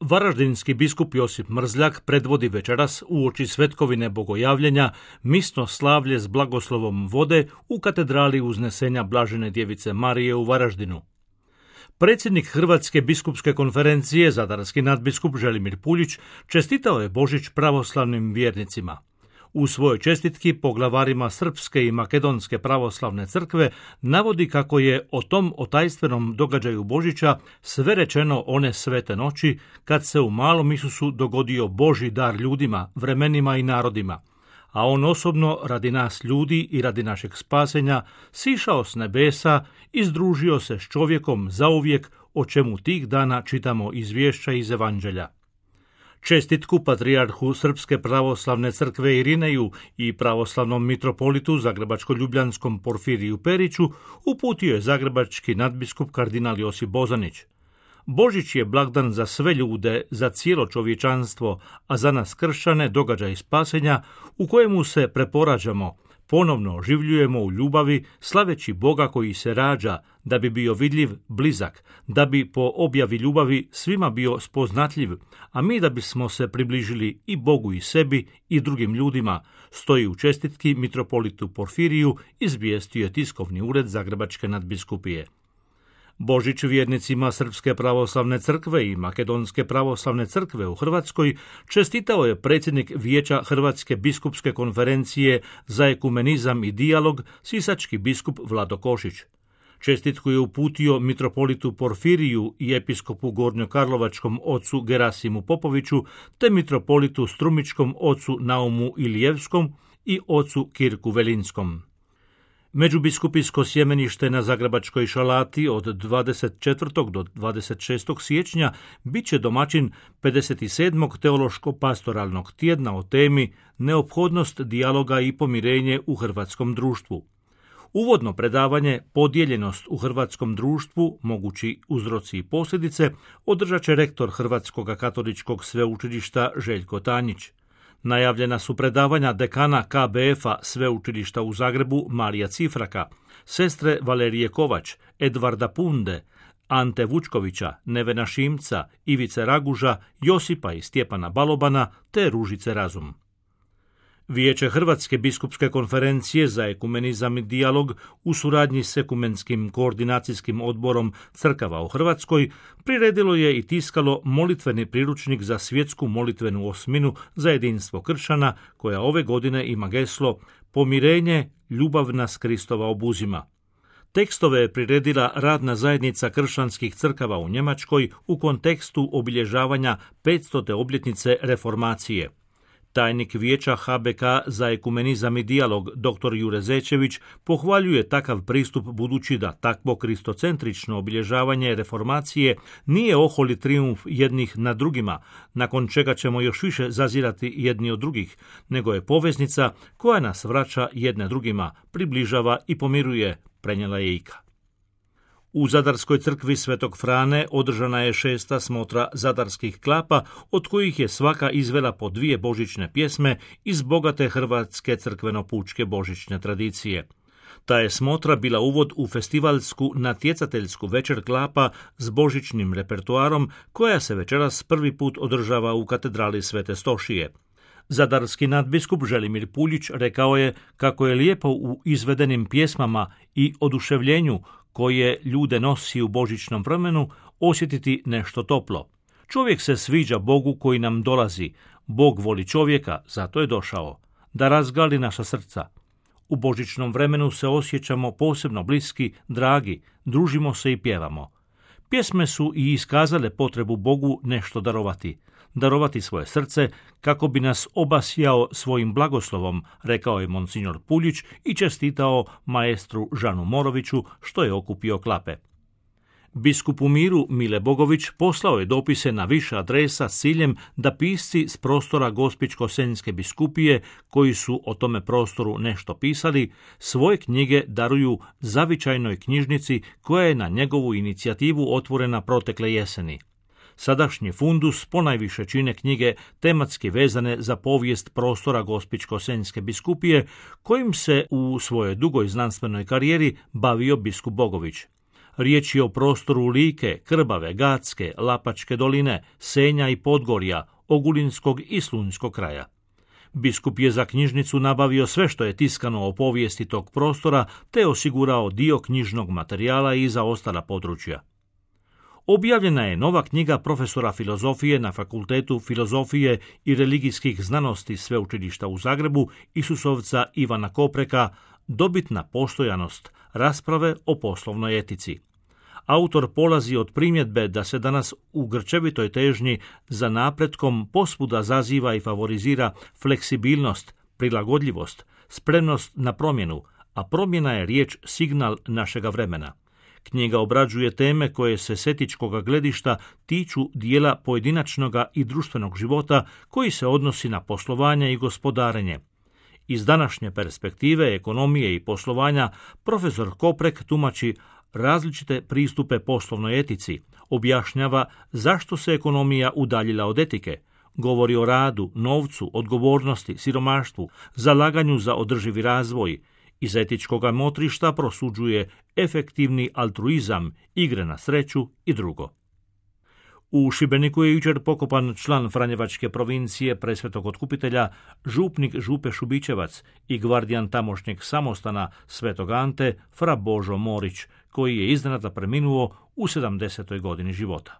Varaždinski biskup Josip Mrzljak predvodi večeras uoči svetkovine bogojavljenja misno slavlje s blagoslovom vode u katedrali Uznesenja Blažene djevice Marije u Varaždinu. Predsjednik Hrvatske biskupske konferencije, zadarski nadbiskup Želimir Puljić, čestitao je Božić pravoslavnim vjernicima. U svojoj čestitki poglavarima Srpske i Makedonske pravoslavne crkve navodi kako je o tom otajstvenom događaju Božića sve rečeno one svete noći kad se u malom Isusu dogodio Božji dar ljudima, vremenima i narodima, a on osobno radi nas ljudi i radi našeg spasenja sišao s nebesa i združio se s čovjekom zauvijek, o čemu tih dana čitamo izvješća iz Evanđelja. Čestitku patrijarhu Srpske pravoslavne crkve Irineju i pravoslavnom mitropolitu zagrebačko-ljubljanskom Porfiriju Periću uputio je zagrebački nadbiskup kardinal Josip Bozanić. Božić je blagdan za sve ljude, za cijelo čovječanstvo, a za nas kršćane događaj spasenja u kojemu se preporađamo, ponovno oživljujemo u ljubavi, slaveći Boga koji se rađa, da bi bio vidljiv, blizak, da bi po objavi ljubavi svima bio spoznatljiv, a mi da bismo se približili i Bogu i sebi i drugim ljudima, stoji u čestitki mitropolitu Porfiriju, izvijestio je tiskovni ured Zagrebačke nadbiskupije. Božić vjernicima Srpske pravoslavne crkve i Makedonske pravoslavne crkve u Hrvatskoj čestitao je predsjednik Vijeća Hrvatske biskupske konferencije za ekumenizam i dijalog, sisački biskup Vlado Košić. Čestitku je uputio mitropolitu Porfiriju i episkopu gornjokarlovačkom ocu Gerasimu Popoviću, te mitropolitu strumičkom ocu Naumu Ilijevskom i ocu Kirku Velinskom. Međubiskupijsko sjemenište na Zagrebačkoj Šalati od 24. do 26. siječnja bit će domaćin 57. teološko-pastoralnog tjedna o temi Neophodnost dijaloga i pomirenje u hrvatskom društvu. Uvodno predavanje Podijeljenost u hrvatskom društvu, mogući uzroci i posljedice, održat će rektor Hrvatskog katoličkog sveučilišta Željko Tanjić. Najavljena su predavanja dekana KBF-a Sveučilišta u Zagrebu Marija Cifraka, sestre Valerije Kovač, Edvarda Punde, Ante Vučkovića, Nevena Šimca, Ivice Raguža, Josipa i Stjepana Balobana te Ružice Razum. Vijeće Hrvatske biskupske konferencije za ekumenizam i dijalog u suradnji s ekumenskim koordinacijskim odborom crkava u Hrvatskoj priredilo je i tiskalo molitveni priručnik za svjetsku molitvenu osminu za jedinstvo kršćana, koja ove godine ima geslo Pomirenje, ljubav nas Kristova obuzima. Tekstove je priredila radna zajednica kršćanskih crkava u Njemačkoj u kontekstu obilježavanja 500. obljetnice reformacije. Tajnik Vijeća HBK za ekumenizam i dijalog dr. Jure Zečević pohvaljuje takav pristup budući da takvo kristocentrično obilježavanje reformacije nije oholi trijumf jednih na drugima, nakon čega ćemo još više zazirati jedni od drugih, nego je poveznica koja nas vraća jedne drugima, približava i pomiruje, prenijela je Ika. U Zadarskoj crkvi Svetog Frane održana je 6. smotra zadarskih klapa, od kojih je svaka izvela po 2 božićne pjesme iz bogate hrvatske crkveno-pučke božićne tradicije. Ta je smotra bila uvod u festivalsku natjecateljsku večer klapa s božićnim repertoarom, koja se večeras prvi put održava u katedrali Svete Stošije. Zadarski nadbiskup Želimir Puljić rekao je kako je lijepo u izvedenim pjesmama i oduševljenju koje ljude nosi u božićnom vremenu osjetiti nešto toplo. Čovjek se sviđa Bogu koji nam dolazi. Bog voli čovjeka, zato je došao. Da razgali naša srca. U božićnom vremenu se osjećamo posebno bliski, dragi, družimo se i pjevamo. Pjesme su i iskazale potrebu Bogu nešto darovati svoje srce kako bi nas obasjao svojim blagoslovom, rekao je monsignor Puljić i čestitao maestru Žanu Moroviću što je okupio klape. Biskup u miru Mile Bogović poslao je dopise na više adresa s ciljem da pisci s prostora Gospićko-senjske biskupije, koji su o tome prostoru nešto pisali, svoje knjige daruju zavičajnoj knjižnici koja je na njegovu inicijativu otvorena protekle jeseni. Sadašnji fundus ponajviše čine knjige tematski vezane za povijest prostora Gospićko-senjske biskupije, kojim se u svojoj dugoj znanstvenoj karijeri bavio biskup Bogović. Riječ je o prostoru Like, Krbave, Gatske, Lapačke doline, Senja i Podgorja, Ogulinskog i Slunjskog kraja. Biskup je za knjižnicu nabavio sve što je tiskano o povijesti tog prostora, te osigurao dio knjižnog materijala i za ostala područja. Objavljena je nova knjiga profesora filozofije na Fakultetu filozofije i religijskih znanosti Sveučilišta u Zagrebu Isusovca Ivana Kopreka Dobitna postojanost, rasprave o poslovnoj etici. Autor polazi od primjedbe da se danas u grčevitoj težnji za napretkom posvuda zaziva i favorizira fleksibilnost, prilagodljivost, spremnost na promjenu, a promjena je riječ signal našega vremena. Knjiga obrađuje teme koje se s etičkog gledišta tiču dijela pojedinačnoga i društvenog života koji se odnosi na poslovanje i gospodarenje. Iz današnje perspektive ekonomije i poslovanja profesor Koprek tumači različite pristupe poslovnoj etici, objašnjava zašto se ekonomija udaljila od etike, govori o radu, novcu, odgovornosti, siromaštvu, zalaganju za održivi razvoj. Iz etičkog motrišta prosuđuje efektivni altruizam, igre na sreću i drugo. U Šibeniku je jučer pokopan član Franjevačke provincije Presvetog Otkupitelja, župnik Župe Šubićevac i gvardijan tamošnjeg samostana Svetog Ante, fra Božo Morić, koji je iznenada preminuo u 70. godini života.